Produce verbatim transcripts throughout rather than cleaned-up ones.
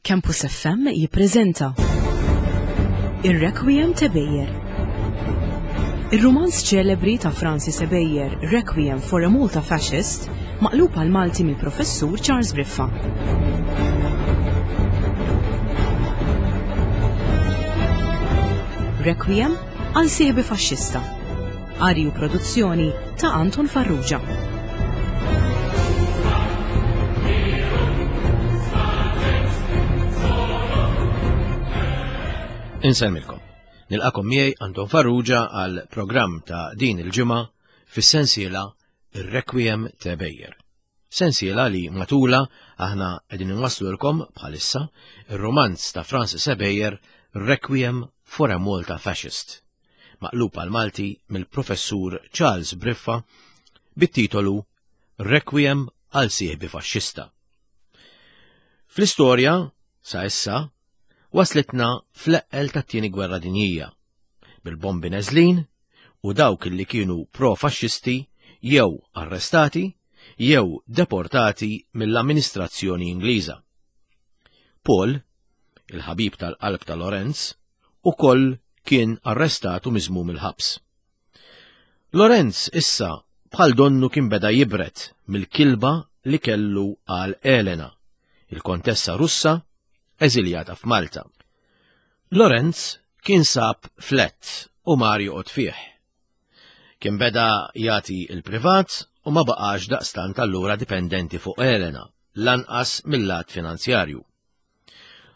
Campus F M jippreżenta Ir-Requiem t'Ebejer. Ir-rumanz ċelebri ta' Francis Ebejer, Requiem for a Malta Fascist, maqlub għal Malti mill-Professur Charles Briffa. Requiem għal sieħbi faxxista. Qari u produzzjoni ta' Anton Farrugia. Insemmilkom. Nilqakom miegħi Anton Farrugia għal programm ta' din il-ġimgħa fis-sensiela Ir-Requiem t'Ebejer. Sensiela li matula aħna qegħdin inwasslulkom bħalissa ir-romanz ta' Francis Ebejer Requiem for a Malta Fascist, maqlub għal Malti mill-Professur Charles Briffa bit-titolu Requiem għal sieħbi faxxista. Fl-istorja, sa issa, waslitna fl-eqqel tat-tieni gwerra dinjija, bil-bombi neżlin u dawk li kienu pro-faxxisti jew arrestati jew deportati mill-amministrazzjoni Ingliża. Paul, il-ħabib tal-qalb ta' Lorenz, ukoll kien arrestat u miżmum il-ħabs. Lorenz issa bħal donnu kien beda jibret mill-kilba li kellu għal Elena, il-kontessa Russa eżiljata f'Malta. Lorenz kien sab flat u mar joqgħod fih. Kien beda jagħti il-privat u ma baqax daqstant allura dipendenti fuq Elena, lanqas mill-lat finanzjarju.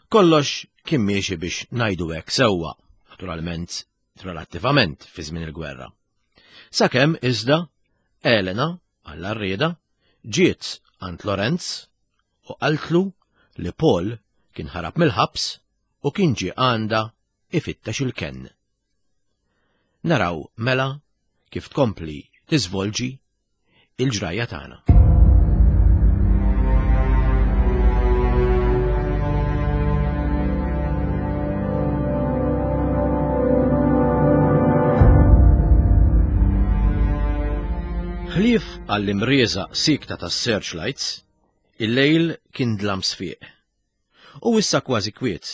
Kollox kien miexi biex ngħidu hekk sewwa, naturalment relattivament fi żmien il-gwerra. Sakemm iżda Elena, għall-arrieda, ġiet għand Lorenz u qaltlu li Paul kien ħarab mill-ħabs u kien ġie għandha ifittex il-kenn. Naraw mela kif tkompli tiżvolġi il-ġrajja tagħna. Ħlief għall-imrieża sikta tas-searchlights, il-lejl kien dlam sfiq. U issa kważi kwiet.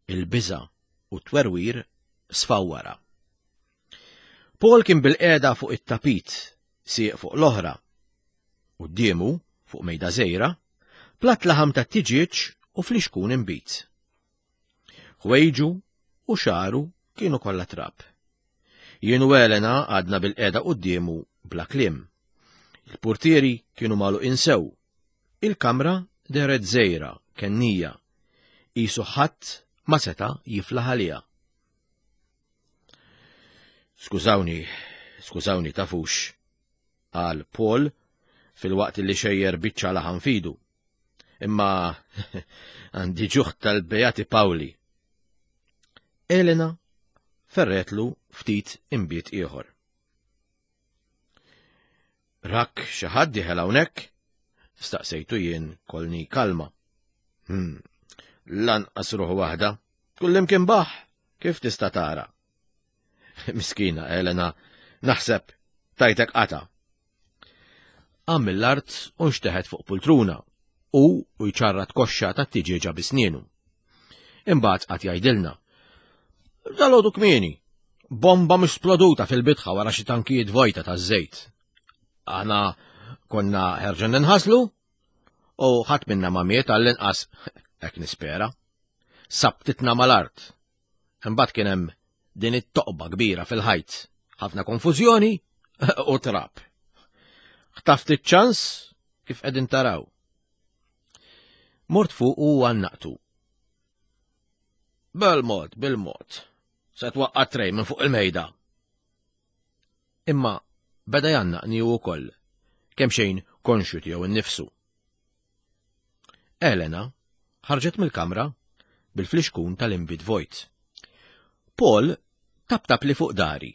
Il-biża u t-twerwir sfaw wara. Paul kien bil-qiegħda fuq it-tapit, sieq fuq l-oħra. Quddiemu, fuq mejda żgħira, platt laħam ta' tiġieġ u flixkun inbid. Ħwejġu u xagħru kienu kollha trab. Jien u Elena għadna bil-qiegħda quddiemu bla kliem. Il-portieri kienu magħluqin sew. Il-kamra dehret żgħira, kennija. Qisu ħadd ma seta' jiflaħ għaliha. Skużawni, skużawni tafux, qal Paul fil-waqt li xejjer biċċa laħam fidu. Imma għandi ġuħ tal-Beati Pawli. Elena ferretlu ftit inbid ieħor. Rak xi ħadd dieħel hawnhekk? Staqsejtu jien kolni kalma. Hmm, lanqas ruħ waħda, kullimkien baħ, kif tista' tara? Miskina Elena, naħseb tajtek qata. Qam mill-art u nxteħet fuq pultruna u u jċarrat koxxa ta' tiġieġa bisnienu. Imbagħad qatt jgħidilna. Dalgħodu kmieni, bomba misploduta fil-bitħa wara xi tankijiet vojta taż-żejt. Aħna konna ħerġin ninħaslu u ħadd minna ma miet għall-inqas hekk nispera. Sabtitna mal-art. Imbagħad kien hemm din it-toqba kbira fil-ħajt, ħafna konfużjoni u trab. Ħtaft iċ-ċans kif qegħdin taraw. Mort fuq u għannaqtu. Bil-mod, bil-mod, se twaqqa' trej minn fuq il-mejda. Imma beda jgħannaqni hu wkoll, kemm xejn konxju tiegħu innifsu. Elena ħarġet mill-kamra bil-flixkun tal-inbid vojt. Paul taptap li fuq dari,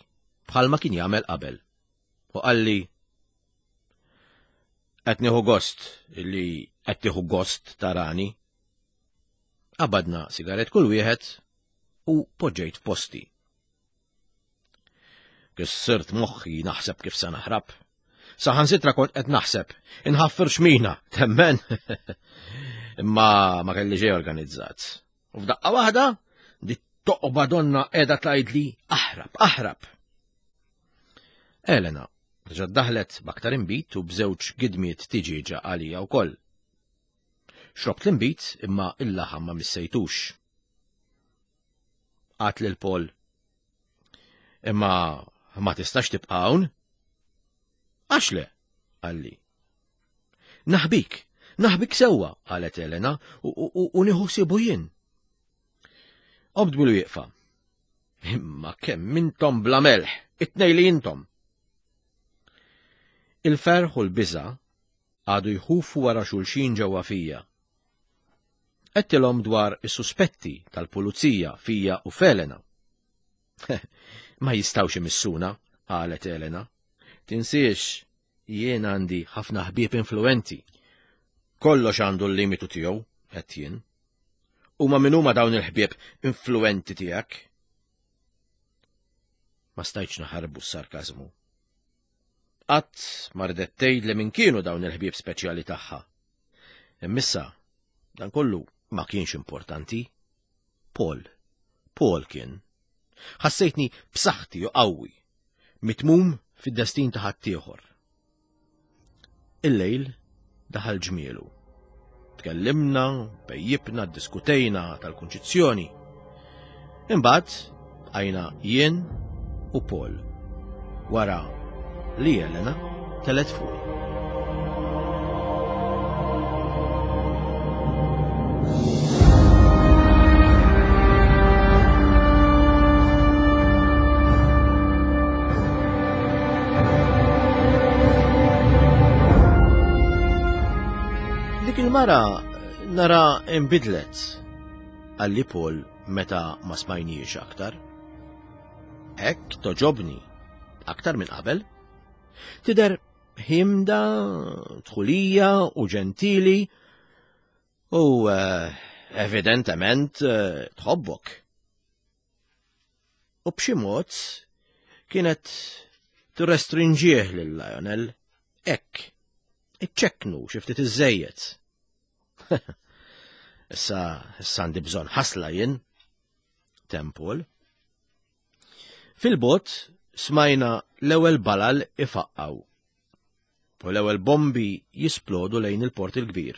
bħalma kien jagħmel qabel. U qalli, qed nieħu gost illi qed tieħu gost tarani. Qabadna sigaret kull wieħed u poġġejt f'posti. Kissirt moħħi naħseb kif se naħrab. Saħansitra kont qed naħseb, inħaffer xmina, temmen. Imma ma kelli ġej organizzat. U f'daqqa waħda, di toqba donna qiegħda tgħidli aħrab, aħrab. Elena reġgħet daħlet b'aktar inbid u b'żewġ gidmiet tiġieġa għalija wkoll. Xrobt l-inbid imma il-laħam ma missejtux. Għat lil Paul. Imma ma tistax tibqa' hawn? Għax le, qalli. Naħbik, naħbik sewwa, qalet Elena, u nieħu ħsiebu jien. Qomt bil-wieqfa. Imma kemm intom bla melħ, it-tnejn li intom. Il-ferħ u l-biża' għadu jħufu wara xulxin ġewwa fija. Għedtilhom dwar is-suspetti tal-pulizija fija u f'Elena. Ma jistgħux imissuna, qalet Elena. Tinsiex, jien għandi ħafna ħbieb influenti. Kollox għandu l-limitu tiegħu, għedt jien. Huma min huma dawn il-ħbieb influenti tiegħek? Ma stajtx naħarbu s-sarkażmu. Qatt ma riedet tgħid li min kienu dawn il-ħbieb speċjali tagħha. Immissa, dan kollu ma kienx importanti. Paul, Paul kien. Ħassejtni b'saħħti u qawwi, mitmum fid-destin ta' ħaddieħor. Il-lejl daħal ġmielu. Tkellimna, pejjipna, diskutejna tal-kunċizzjoni. Imbagħad bqajna jien u Paul. Wara li Elena telet fuq. Dik il-mara nara imbidlet, qalli Paul meta ma smajniex aktar. Hekk toġobni, aktar minn qabel. Tidher ħimda, tħulija u ġentili u eh, evidentement eh, tħobbok. U b'xi mod kienet tirrestrinġih lil Lionel hekk, iċċekknu xi ftit iżejjed. Issa issa għandi bżonn ħasla jien, Tempol. Fil-bot smajna l-ewwel balal ifaqqaw u l-ewwel bombi jisplodu lejn il-port il-kbir.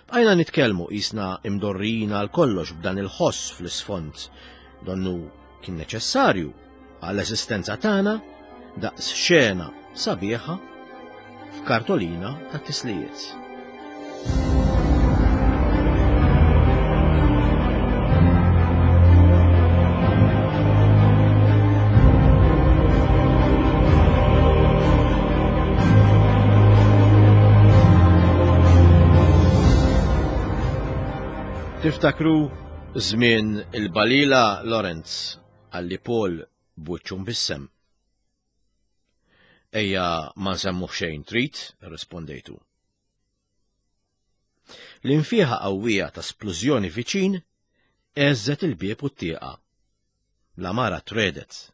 Bqajna nitkellmu qisna imdorrijin għal kollox b'dan il-ħoss fl-isfond, donnu kien neċessarju għall-eżistenza tagħna daqs xena sabiħa f'kartolina ta' tislijiet. Tiftakru żmien il-Balila Lorenz, qalli Paul b'wiċċu mbissem. Ejja ma nsemmuh xejn trid, rispondejtu. L-infieħa qawwija ta' splużjoni viċin għeżżet il-bieb u t-tieqa. L-għamara tredet.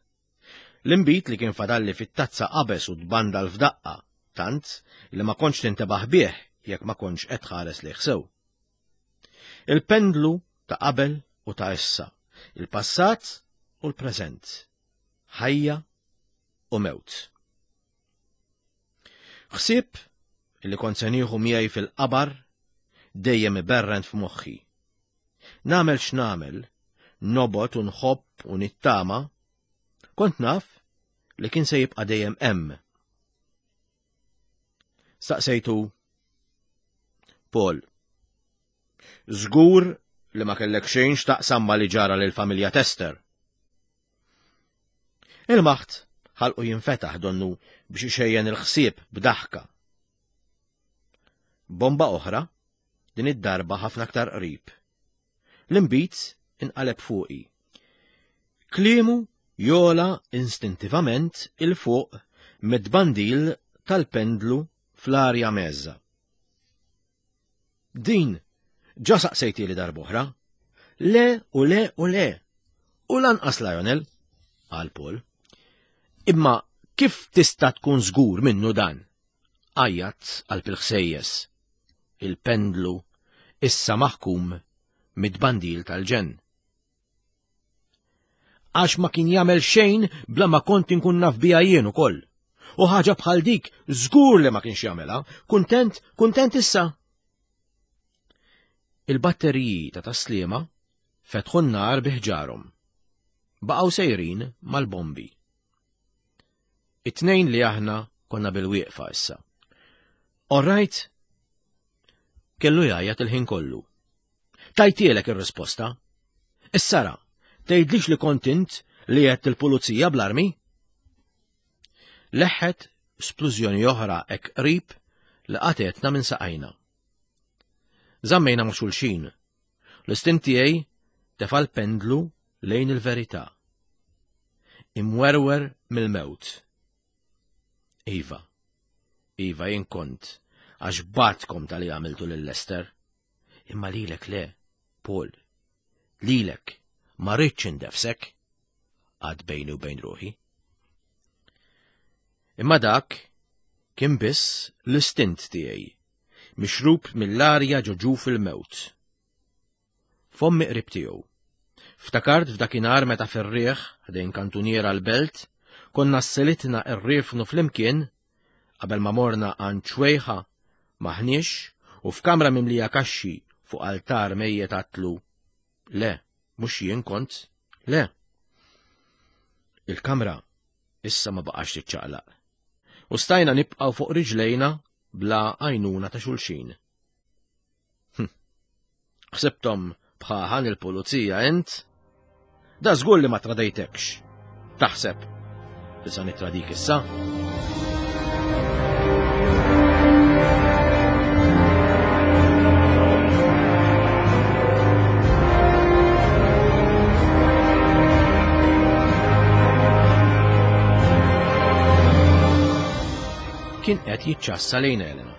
L-inbid li kien fadalli fit-tazza qabeż u tbandal f'daqqa, tant li ma kontx tintebaħ bih jekk ma kontx qed tħares lejh sew. Il-pendlu ta' qabel u ta' issa, il-passat u l-preżent, ħajja u mewt. Ħsieb li kont se nieħu miegħi fil-qabar dejjem iberrent f'moħħi. Nagħmel x'nagħmel, nobgħod u nħobb u nittama, kont naf li kien se jibqa' dejjem hemm. Staqsejtu, Paul, żgur li ma kellek xejn x'taqsam ma li ġara lill-familja Tester. Il-maħt ħalqu jinfetaħ donnu biex ixejjen il-ħsieb b'daħka. Bomba oħra, din id-darba ħafna aktar qrib. L-inbid inqaleb fuqi. Kliemu jola instintivament il-fuq mid-bandil tal-pendlu fl-arja meżża. Din ġa saqsejti li darb'oħra. Le u le u le. U lanqas Lionel, qal Paul. Imma kif tista' tkun żgur minnu dan? Għajjat qalb il-ħsejjes. Il-pendlu Issa maħkum mid-bandil tal-ġenn. Għax ma kien jagħmel xejn bla ma kont inkun naf biha jien ukoll. U ħaġa bħal dik żgur li ma kienx jagħmilha. Kuntent, kuntent issa. Il-batteriji ta' Tas-Sliema fetħu n-nar bi ħġarhom. Baqgħu sejrin mal-bombi. It-tnejn li aħna konna bil-wieqfa issa. All right? Kellu jgħajjat il-ħin kollu. Tajtielek ir-risposta. Issa ra, tgħidlix li kont int li għedt il-pulizija bl-armi? Leħħet splużjoni oħra hekk qrib li qatgħetna minn saqajna. Żammejna ma' xulxin. L-istint tiegħi tefa' l-pendlu lejn il-verità. Imwerwer mill-mewt. Iva, iva jien kont, għax batkom tal-li għamiltu lil Lester. Imma lilek le, Paul, lilek ma rridx indefsek, għad bejni u bejn ruħi. Imma dak kien biss l-istint tiegħi, mixrub mill-arja ġo ġuf il-mewt. Fommi qrib tiegħu. Ftakart f'dakinhar meta fir-riħ ħdejn kantuniera l-belt, konna sselitna rriefnu flimkien qabel ma morna għand ċwejħa maħniex u f'kamra mimlija kaxxi fuq altar mejjet għatlu. Le, mhux jien kont, le. Il-kamra issa ma baqax tiċċaqlaq. U stajna nibqgħu fuq riġlejna bla għajnuna ta' xulxin. Hm. Ħsibthom bħaħan il-pulizija int? Da żgur li ma tradejtekx. Taħseb li sa nitradik issa? Kien qed jiċċassa lejn Elena.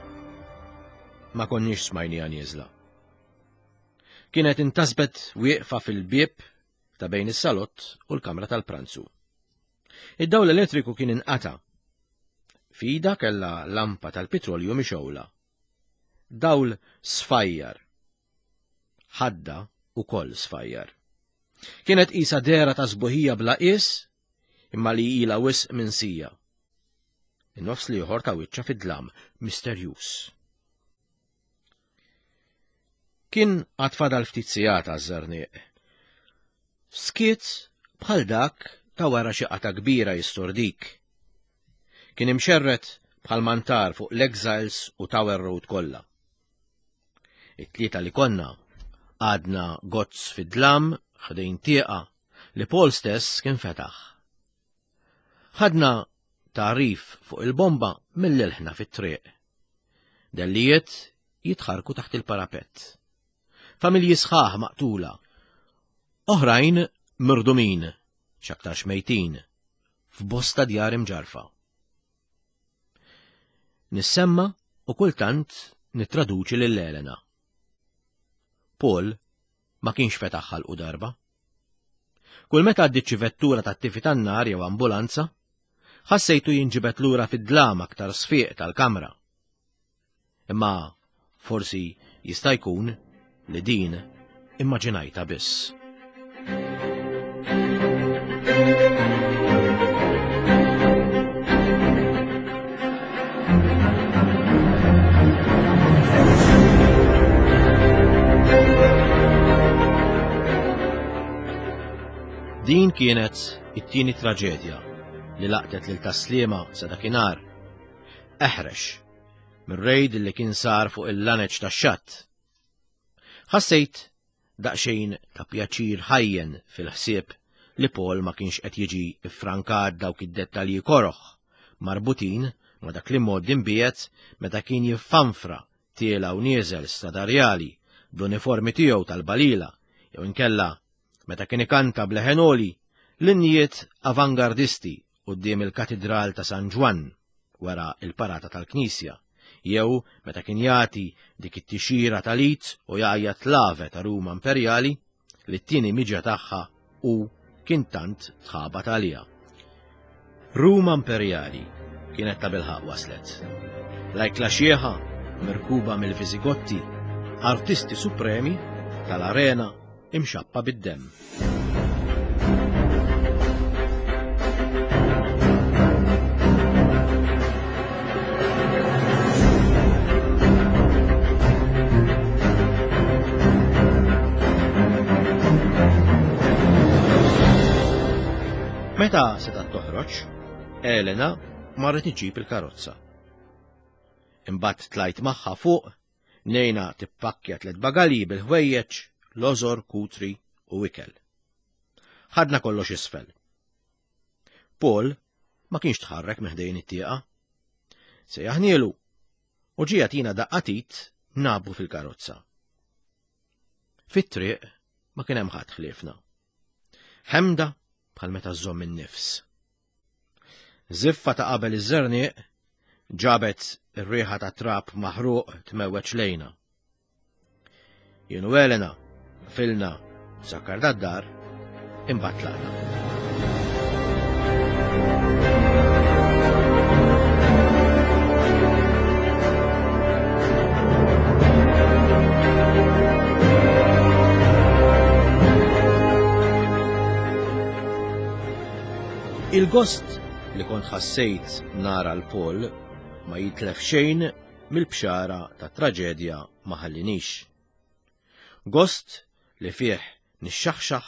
Ma konniex smajniha nieżla. Kienet intasbet wieqfa fil-bieb ta' bejn is-salott u l-kamra tal-pranzu. Id-dawl elettriku kien inqata'. F'idha kellha lampa tal-petrolju mixgħula. Dawl sfajjar. Ħadda ukoll sfajjar. Kienet qisha dehra ta' sbuħija bla qies, imma li ilha wisq minsija. In-nofs l-ieħor ta' wiċċha fid-dlam misterjuż. Kien għad fadal ftit sigħat għaż-żerniq. Skiet bħal dak ta' wara xi qata kbira jistordik. Kien imxerred bħal mantar fuq l-Exiles u Tower Road kollha. It-tlieta li konna għadna gozz fid-dlam ħdejn tieqa li Paul stess kien fetaħ. Ħadna tagħrif fuq il-bomba mill-ilħna fit-triq. Dellijiet jitħarku taħt il-parapett. Familji sħaħ maqtula. Oħrajn mirdumin, x'aktarx mejtin, f'bosta djar imġarfa. Nissemma u kultant nittraduċi lil Elena. Paul ma kienx fetaħ ħalqu darba. Kull meta għaddiet xi vettura tat-tifi tan-nar jew ambulanza, ħassejtu jinġibed lura fid-dlam aktar sfiq tal-kamra. Imma forsi jista' jkun li din immaġinajta biss. Din kienet it-tieni traġedja li laqtet lil Tas-Sliema sa dakinhar. Eħrex mir-rejd li kien sar fuq il-laneċ tax-xatt. Ħassejt daqsxejn ta' pjaċir ħajjen fil-ħsieb li Paul ma kienx qed jiġi iffrankat dawk id-dettalji koroħ marbutin ma' dak li mod imbiegħed meta kien jiffanfra tiela u nieżel stadarjali bl-uniformi tiegħu tal-balila jew inkella meta kien ikanta b'leħen għoli l-innijiet avangardisti quddiem il-Katidral ta' San Ġwann wara il-parata tal-Knisja, jew meta kien jagħti dik it-tixira tal-id u jgħajjat l-Ave ta' Ruma Imperjali li t-tieni miġja tagħha u kien tant tħabat għaliha. Ruma Imperjali kienet ta' bilħaq waslet. L-ajkla xieħa mirkuba mill-Viżigotti Artisti supremi tal-arena imxappa bid-demm. Meta setgħet toħroġ, Elena marret iġġib il-karozza. Imbagħad tlajt magħha fuq, nejna tippakkja tliet bagalji bil-ħwejjeġ, lożor, kutri u ikel. Ħadna kollox isfel. Paul ma kienx tħarrek minn ħdejn it-tieqa. Sejjaħnielu u ġie jagħtina daqqa t'id nabu fil-karozza. Fit-triq ma kien hemm ħadd ħliefna. Ħemda bħal meta żżomm in-nifs. Żiffa ta' qabel iż-żerniq ġabet ir-riħa ta' trab maħruq tmewweġ lejna. Jien u Elena filna sakkar dad-dar imbagħad tlaqna. Il-gost li kont ħassejt nara l-Paul ma jitlef xejn mill-bxara ta' traġedja ma ħallinix. Gost li fih nixxaħxaħ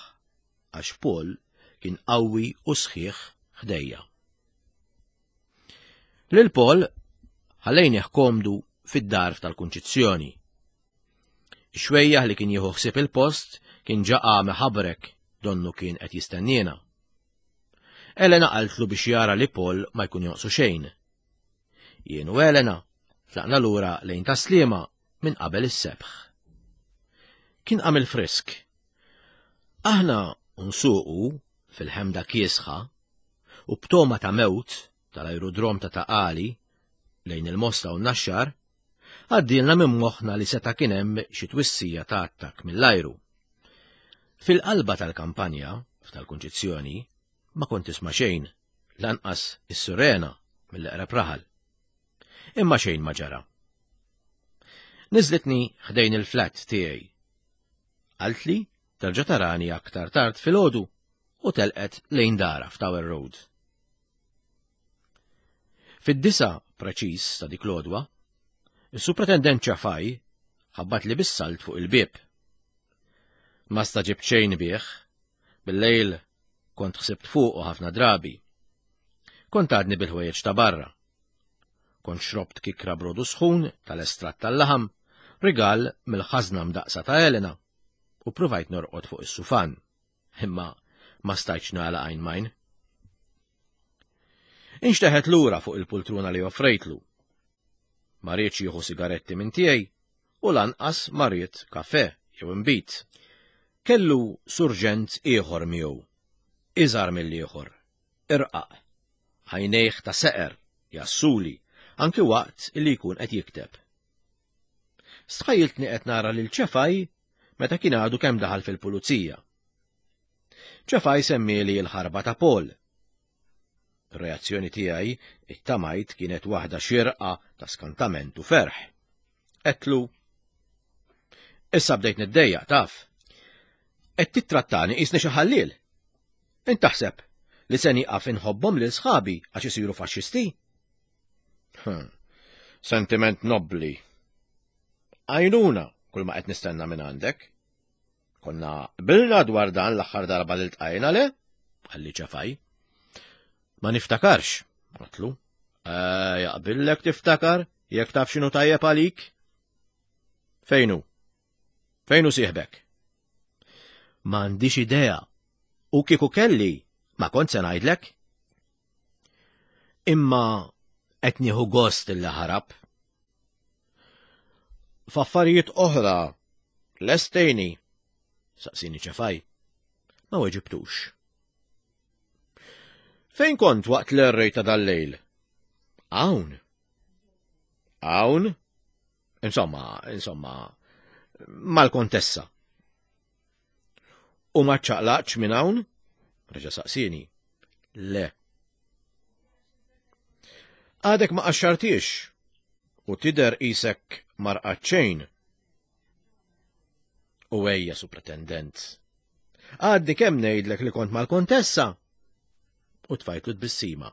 għax Paul kien qawwi u sħiħ ħdejja. Lil Paul ħallejnih komdu fid-dar tal-Kunċizzjoni. Ix-xwejjaħ li kien jieħu ħsieb il-post kien ġaqa meħabrek donnu kien qed jistenniena. Elena qaltlu biex jara li Paul ma jkun jonqsu xejn. Jien u Elena tlaqna lura lejn Tas-Sliema minn qabel is-sebħ. Kien għamil frisk. Aħna nsuqu fil-ħemda kiesħa u b'toma ta' mewt tal-aerodrom ta' Taqali lejn il-Mosta u n-Naxxar, għaddilna minn moħħna li seta' kien hemm xi twissija ta' attakk mill-ajru. Fil-qalba tal-kampanja, f'tal-Kunċizzjoni, ma kont tisma' xejn, lanqas is-sirena mill-eqreb raħal. Imma xejn ma ġara. Niżlitni ħdejn il-flat tiegħi. Qaltli terġa' tarani aktar tard filgħodu u telqet lejn dara f'Tower Road. Fid-disa preċiż ta' dik l-għodwa, is-Supretendent Ċafaj ħabbat li bis-salt fuq il-bieb. Ma staġibt xejn bih, bil-lejl kont ħsibt fuqu ħafna drabi. Kont għadni bil-ħwejjeġ ta' barra. Kont xrobt kikra brodu sħun tal-estratt tal-laħam, rigal mill-ħażna mdaqsa ta' Elena, u provajt norqod fuq is-sufan, imma ma stajtx nagħlaq għajn majn. Inxteħet lura fuq il-pultruna li offrejtlu. Ma riedx jieħu sigaretti minn tiegħi u lanqas ma ried kafè jew inbid. Kellu surġent ieħor miegħu, iżgħar mill-ieħor, irqaq, għajnejh ta' seqer, jassuli, anki waqt li jkun qed jikteb. Stħajjiltni qed nara lil Ċefaj meta kien għadu kemm daħal fil-pulizija. Ċefaj semmieli l-ħarba ta' Paul. Ir-reazzjoni tiegħi ittamajt kienet waħda xirqa ta' skantament u ferħ. Għedtlu, issa bdejt niddejjaq taf. Qed tittrattani qisni xi ħalliel. Int taħseb li se nieqaf inħobbhom lil sħabi għax isiru faxxisti? Hm, sentiment nobbli. Għajnuna kull ma qed nistenna minn għandek. Konna qbilna dwar dan l-aħħar darba li ltqajna le? Qalli Ċafaj. Ma niftakarx, għedtlu. Eh, jaqbillek tiftakar jekk taf x'inhu tajjeb għalik? Fejnu? Fejnu sieħbek? M'għandix idea. U kieku kelli, ma kont se ngħidlek. Imma qed nieħu gost illi ħarab. F'affarijiet oħra, lestejni, saqsini Ċefaj. Ma weġibtux. Fejn kont waqt l-errej ta' dal-lejl? Hawn. Hawn? Insomma, insomma, mal-kontessa. U ma ċaqlaqx minn hawn? Reġa' saqsini. Le. Għadek ma qaxxartix u tidher qisek marqat xejn. U ejja, supretendent. Għadni kemm ngħidlek li kont mal-kontessa. U tfajtlu tbissima.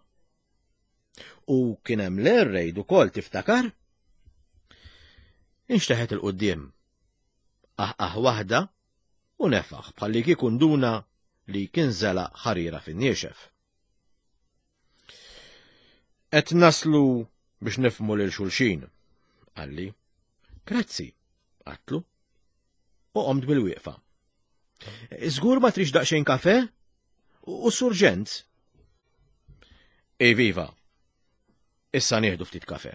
U kien hemm l-air raid ukoll tiftakar? Inxteħet 'il quddiem. Aħ waħda u nefaħ bħalli kieku nduna li kien żelaq ħarira fin-niexef. Qed naslu biex nifhmu lil xulxin, qalli. Grazzi, għedtlu. U qomt bil-wieqfa. Żgur ma tridx daqsxejn kafe? U surġent? Eviva, issa nieħdu ftit kafe.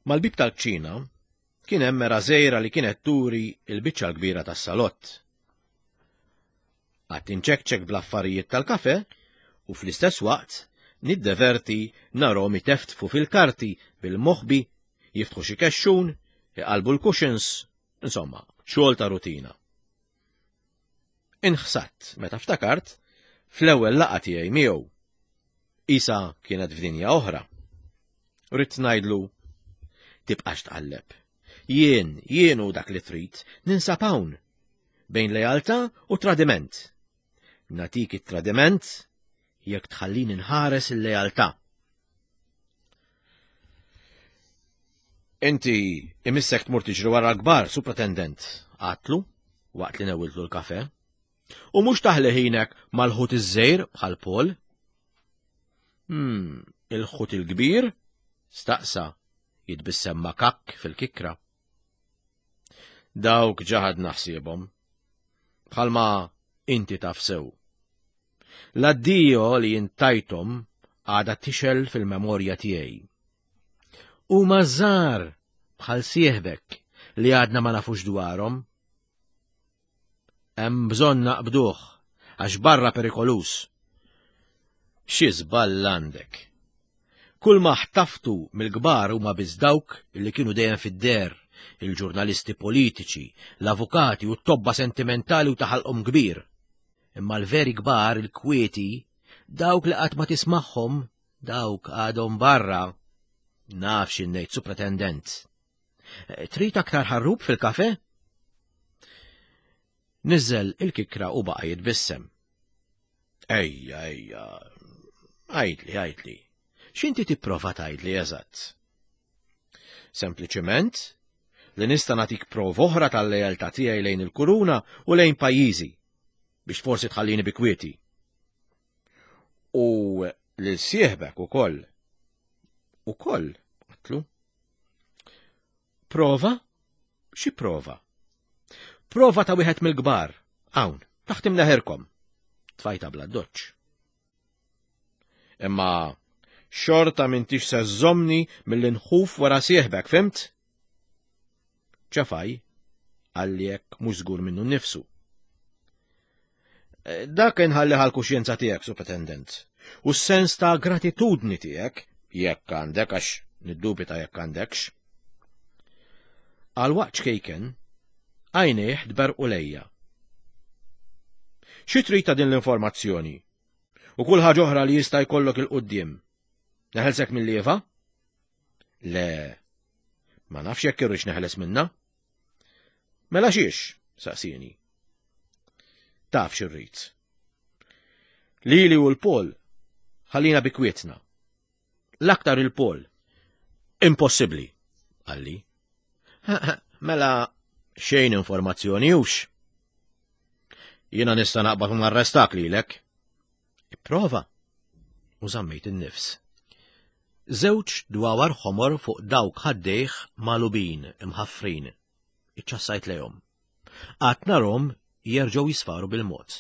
Mal-bib tal-kċina kien hemm mera żgħira li kienet turi l-biċċa l-kbira tas-salott. Qatt inċekċek bl-affarijiet tal-kafe u fl-istess waqt niddeverti narhom iteftfu fil-karti bil-moħbi, jiftħu xi kexxun, iqalbu l-cushions, insomma, xogħol ta' rutina. Inħsatt meta ftakart fl-ewwel laqgħa tiegħi miegħu. Isa kienet f'dinja oħra. Ridt ngħidlu, tibqax tqalleb. Jien, jien hu dak li trid, ninsab hawn, bejn lealtà u tradiment. Natik it-tradiment jekk tħallini nħares il-lealtà. Inti imissek tmur tiġri wara l-kbar, supretendent, għatlu, waqt li newiltlu l-kafe. U mhux taħli ħinek mal-ħut iż-żejr bħal Paul. Hmm, il-ħut il-kbir? Staqsa, jitbissem makak fil-kikra. Dawk ġaħad naħsiebhom. Bħalma inti taf sew. L-addio li jintajtom għada tixel fil-memorja tiegħi. Huma żgħar bħal sieħbek li għadna ma nafux dwarhom. Hemm bżonn naqbduh għax barra perikolus. Xi żball għandek. Kull ma ħtaftu mill-kbar huma biss dawk li kienu dejjem fid-der, il-ġurnalisti politiċi, l-avukati u t-tobba sentimentali u taħalqhom kbir. Imma l-veri kbar, il-kwieti, dawk li qatt ma tismagħhom, dawk għadhom barra. Naf xi ngħid, supretendent. Trid aktar ħarrub fil-kafe? Niżel il-kikra u baqa' jitbissem. Ejja, ejja, għidli, għidli. X'inti tipprova tgħidli eżatt? Sempliċement li nista' nagħtik prova oħra tal-lealtà tiegħi lejn il-kuruna u lejn pajjiżi biex forsi tħallini bi kwieti. U lil sieħbek ukoll. Ukoll, għatlu. Prova? Xi prova? Prova ta' wieħed mill-kbar, hawn, taħt imneħirkom. Tfajta bla doċċ. Imma xorta m'intix se żżomni milli nħuf wara sieħbek, fimt? Ċafaj, għalli jekk mhux żgur minnu nnifsu. Dak inħalli għall-kuxjenza tiegħek, supretendent, u s-sens ta' gratitudni tiegħek, jekk għandek, għax niddubita jekk għandekx. Għal waqt ċkejken, għajnejh tberqu lejja. Xi trid ta' din l-informazzjoni? U kull ħaġa oħra li jista' jkollok il-quddiem. Neħelsek mill-lieva? Le, ma nafx jekk irridx neħles minna. Mela xiex? Saqsieni. Taf x'irrid. Lili u l-Pol ħallina bi kwietna. L-aktar il-Pol. Impossibbli, qalli. Mela xejn informazzjoni hux. Jiena nista' naqbad u narrestak lilek. Ipprova. U żammejt in-nifs. Żewġ dwawar ħomor fuq dawk ħaddejh malubin imħaffrin. Iċċassajt lejhom. Qatt narhom jerġgħu jisfaru bil-mod.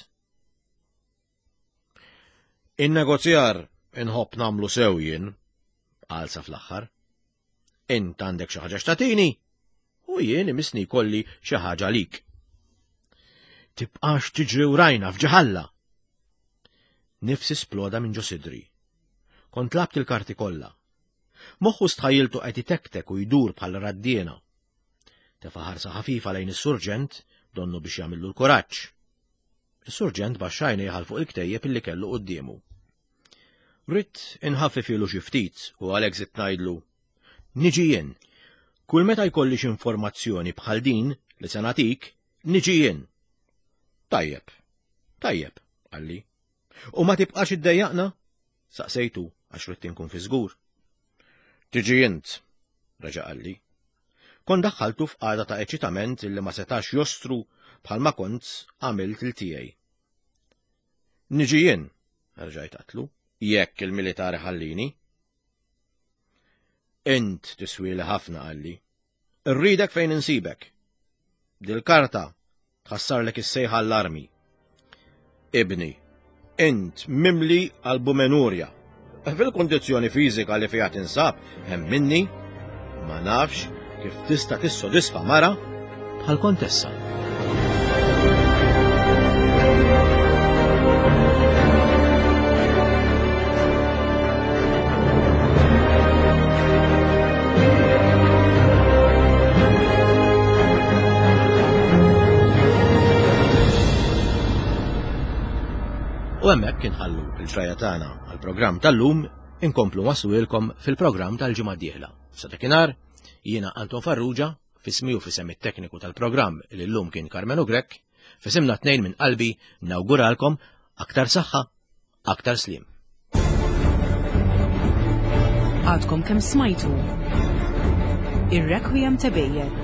In-negozjar inħobb nagħmlu sew jien, qal sa fl-aħħar. Int għandek xi ħaġa x'tagħtini u jien imisni jkolli xi ħaġa għalik. Tibqax tiġri wrajna f'ġaħalla. Nifsi sploda minn ġo sidri. Kont labt il-karti kollha. Moħħu stħajiltu qed itektek u jdur bħal raddiena. Tefa' ħarsa ħafifa lejn is-surġent donnu biex jagħmillu l-kuraġġ. Is-surġent baxxa għajnejh għal fuq il-ktejjeb illi kellu quddiemu. Ridt inħaffifilu xi ftit u għalhekk żidt ngħidlu, niġi jien. Kull meta jkolli xi informazzjoni bħal din li se nagħtik, niġi jien. Tajjeb, tajjeb, qalli. U ma tibqax iddejjaqna? Saqsejtu għax ridt inkun fi żgur. Tiġi int, reġa' qalli. Kont daħħaltu f'qagħda ta' eċitament illi ma setax jostru bħalma kont għamilt il tiegħi. Niġi jien, rġajt għedtlu, jekk il-militari ħallini. Int tiswili ħafna, qalli. Irridek fejn insibek. Dil-karta tħassarlek is-sejħa l-armi. Ibni, int mimli albumenurja. Fil-kondizzjoni fiżika li fiha tinsab, hemm minni, ma nafx kif tista' tissodisfa mara bħal kontessa. U hemmhekk inħallu l-ġraja tagħna għall-programm tal-lum, inkomplu waswilkom fil-programm tal-ġimgħa d-dieħla. Sa dakinhar, jiena Anton Farrugia, fismi u fisem it-tekniku tal-programm li llum kien Karmenu Grech, fisimna tnejn minn qalbi nawguralkom aktar saħħa, aktar sliem. Għadkom kemm smajtu Ir-Requiem ta' Bejer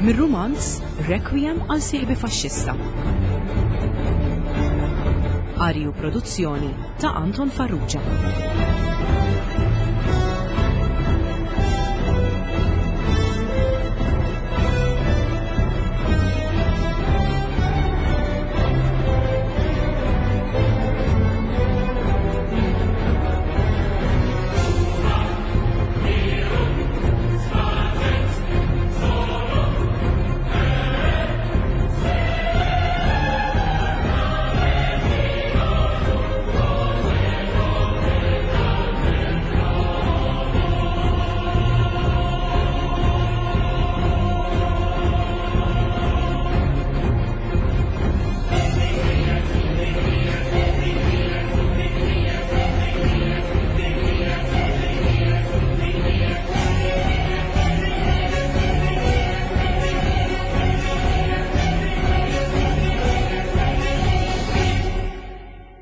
mir-rumanz Requiem għal sieħbi faxxista. Qari u produzzjoni ta' Anton Farrugia.